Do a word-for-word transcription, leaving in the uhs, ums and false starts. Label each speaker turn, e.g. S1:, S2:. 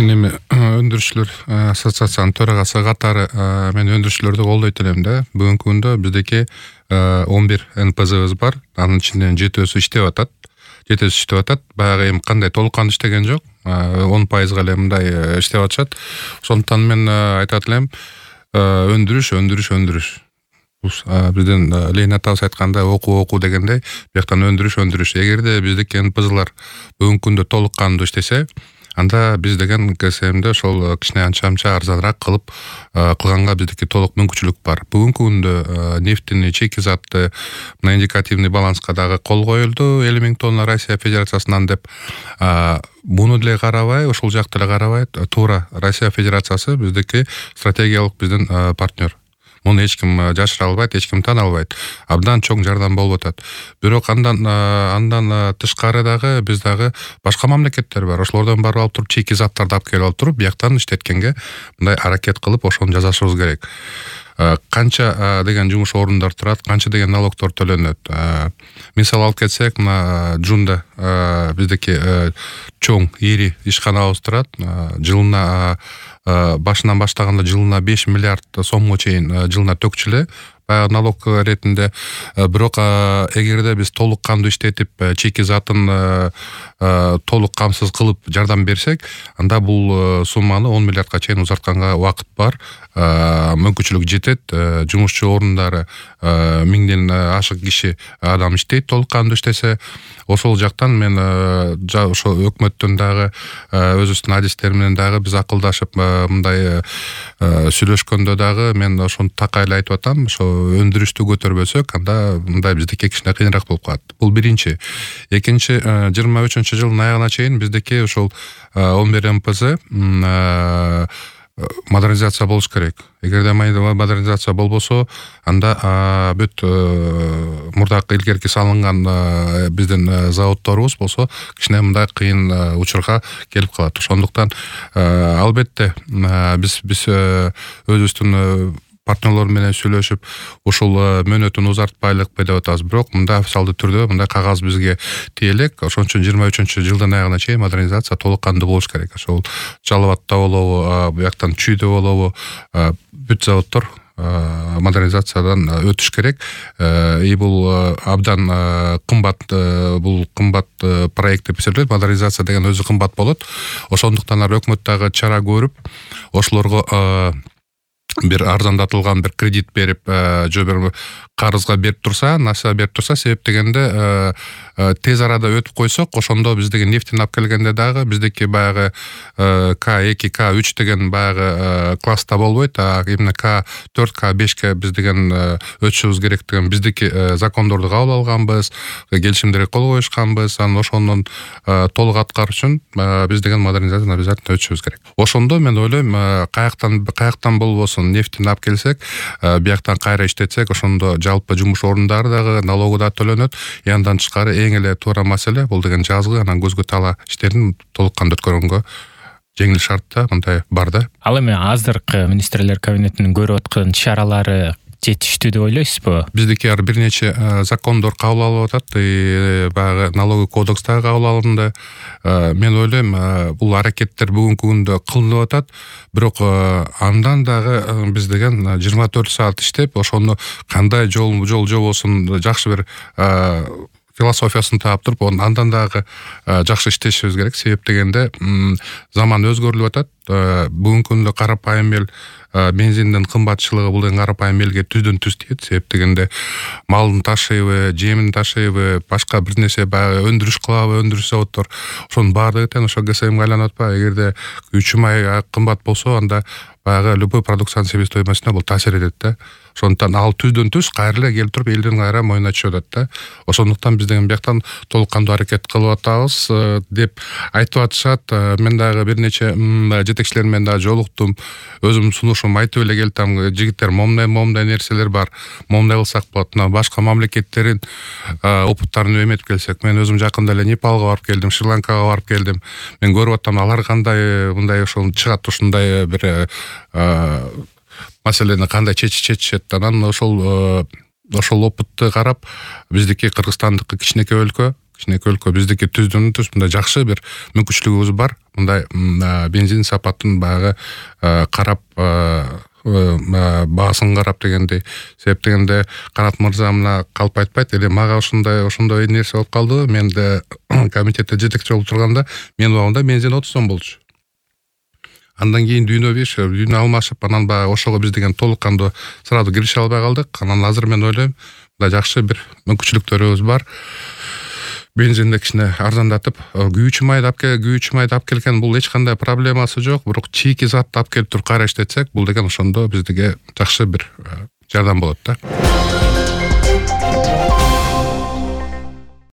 S1: Мен эми өндүрүшчүлөр ассоциациясынын төрагасы катары мен өндүрүшчүлөрдү колдойт элем да. Бүгүнкү күндө биздики он бир эн пэ зэбиз бар. Анын ичинен жетөөсү иштеп атат. Жетөөсү иштеп атат. Баягы эми кандай толук кандуу иштеген жок. он пайызга эле мындай иштеп атышат. Ошондуктан мен айтат элем, өндүрүш, өндүрүш, өндүрүш. Биздин Ленин атабыз айткандай окуу окуу дегендей, бияктан өндүрүш, өндүрүш. Эгерде биздики эн пэ зэлер бүгүнкү күндө толук кандуу иштесе, анда биз деген КСМде ошол кичине анча-мынча арзаныраак кылып кылганга биздики толук мүмкүнчүлүк бар. Бүгүнкү күндө нефтини, шикизатты мына индикативный баланска дагы кол коюлду элүү миң тонна Россия Федерациясынан деп. Буну деле карабай, ошол жакты деле карабай, туура Россия Федерациясы биздики стратегиялык биздин партнер. Муну эч ким жашыра албайт, эч ким тана албайт. Абдан чоң жардам болуп атат. Бирок андан андан тышкары дагы биз дагы башка мамлекеттер бар. Ошолордон барып алып туруп чийки заттарды алып келип алып туруп, бияктан иштеткенге мындай аракет кылып ошону жасашыбыз керек. Канча деген жумуш орундар турат, канча деген налогдор төлөнөт. Мисал алып кетсек, мына Жунда биздики чоң, ири ишканабыз турат. Жылына башынан баштаганда жылына беш миллиард сомго чейин жылына төкчүлө баягы налог иретинде. Бирок эгерде биз толук кандуу иштетип, чийки затын толук камсыз кылып жардам берсек, анда бул сумманы он миллиардка чейин узартканга убакыт бар. Мүмкүнчүлүк жетет. Жумушчу орундары миңден ашык киши адам иштейт, толук кандуу иштесе. Ошол жактан мен ошо өкмөттөн дагы өзүбүздүн адистер менен дагы биз акылдашып мындай сүйлөшкөндө дагы мен ошону такай эле айтып атам. Ошо өндүрүштү көтөрбөсөк, анда мындай биздики кичине кыйыныраак болуп калат. Бул биринчи. Экинчи, жыйырма үчүнчү жылдын аягына чейин биздики ошол он бир эн пэ зэ модернизация болуш керек. Эгерде модернизация болбосо, анда бүт мурдакы илгерки салынган биздин заводдорубуз болсо кичине мындай кыйын учурга келип калат. Ошондуктан албетте биз биз өзүбүздүн партнерлор менен сүйлөшүп, ошол мөөнөтүн узартпайлыкпы деп атабыз. Бирок мындай официалдуу түрдө мындай кагаз бизге тие элек. Ошон үчүн жыйырма үчүнчү жылдын аягына чейин модернизация толук кандуу болуш керек. Ошол Жалал Абадта болобу, буяктан Чүйдө болобу, бүт заводдор модернизациядан өтүш керек. И бул абдан кымбат, бул кымбат проект деп эсептелет. Модернизация деген өзү кымбат болот. Ошондуктан өкмөт дагы чара көрүп, ошолорго бир арзандатылган бир кредит берип, же бир карызга берип турса, насия берип турса, себеп дегенде тез арада өтүп койсок, ошондо биздеги нефтин алып келгенде дагы биздеки баягы К эки, К үч деген баягы класста болбойт, а именно К төрт, К бешке биз деген өтүшүбүз керек деген биздики закондорду кабыл алганбыз, келишимдерге кол коюшканбыз. Анан ошонун толук аткаруу үчүн биз деген модернизацияны обязательно өтүшүбүз керек. Ошондо мен ойлойм, каяктан каяктан болбосун нефтин алып келсек, бияктан кайра иштетсек, ошондо жалпы жумуш орундары дагы, налогу да төлөнөт. И андан тышкары эң эле туура маселе бул деген жазгы, анан көзгө тала иштерин толук кандуу өткөргөнгө жеңил шартта мындай бар да.
S2: Ал эми азыркы министрлер кабинетинин көрүп аткан чаралары жетиштүү деп ойлойсузбу?
S1: Биздики ар бир нече закондор кабыл алып атат, и баягы налоговый кодекс дагы кабыл алынды. Мен ойлойм, бул аракеттер бүгүнкү күндө кылынып атат, бирок андан дагы биз деген жыйырма төрт саат иштеп, ошону кандай жол жол жобосун жакшы бир философиясын таап туруп, андан дагы жакшы иштешибиз керек. Себеп дегенде заман өзгөрүлүп атат. Бүгүнкү күндө карапайым эл бензиндин кымбатчылыгы бул деген карапайым элге түздөн түз тиет. Себеп дегенде малдын ташыйбы, жемин ташыйбы, башка бир нерсе баягы өндүрүш кылабы, өндүрүш заводдор, ошонун баардыгы тең ошо КСМге айланып атпайбы? Эгерде үч май кымбат болсо, анда баягы любой продукциянын себестоимостуна бул таасир этет да. Ошондуктан ал түздөн түз кайра эле келип туруп элдин кайра мойнуна түшүп атат да. Ошондуктан биз деген бияктан толук кандуу аракет кылып атабыз деп айтып атышат. Мен дагы бир нече жетекчилер менен дагы жолуктум. Өзүм сунушум айтып эле келдим, жигиттер, момундай момундай нерселер бар. Момундай кылсак болот. Мына башка мамлекеттердин опыттарын эметип келсек, мен өзүм жакында эле Непалга барып келдим, Шри-Ланкага барып келдим. Мен көрүп атам, алар кандай мындай ошол чыгат, ушундай бир маселени кандай чечишет. Анан ошол ошол опытты карап, биздики Кыргызстандыкы кичинекей өлкө, кичинекей өлкө биздики түздөн түз мындай жакшы бир мүмкүнчүлүгүбүз бар. Мындай бензин сапатын баягы карап баасын карап дегендей. Себеп дегенде Канат мырза мына калп айтпайт эле мага ушундай ошондой нерсе болуп калды. Мен да комитетте жетекчи болуп турганда мен убагында бензин отуз сом болчу. Андан кийин дүйнө беш, дүйнө алмашып, анан баягы ошого биз деген толук кандуу сразу киреше албай калдык. Анан азыр мен ойлойм, мындай жакшы бир мүмкүнчүлүктөрүбүз бар. Бензинди кичине арзандатып, күйүүчү майды алып кел, күйүүчү майды алып келген бул эч кандай проблемасы жок. Бирок чийки затты алып келип туруп кайра иштетсек, бул деген ошондо биздиге жакшы бир жардам болот да.